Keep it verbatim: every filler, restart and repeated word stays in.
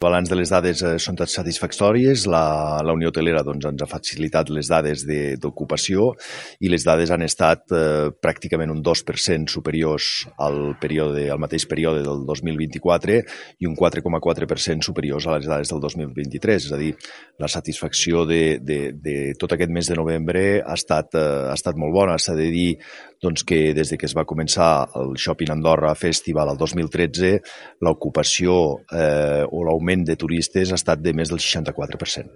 El balanç de les dades eh, són satisfactòries. La, la Unió Hotelera doncs, ens ha facilitat les dades d'ocupació i les dades han estat eh, pràcticament un dos per cent superiors al, període, al mateix període del dos mil vint-i-quatre i un quatre coma quatre per cent superiors a les dades del dos mil vint-i-tres. És a dir, la satisfacció de, de, de tot aquest mes de novembre ha estat, eh, ha estat molt bona. S'ha de dir doncs, que des de que es va començar el Shopping Andorra Festival el dos mil tretze, l'ocupació eh, o l'augment de turistes ha estat de més del seixanta-quatre per cent.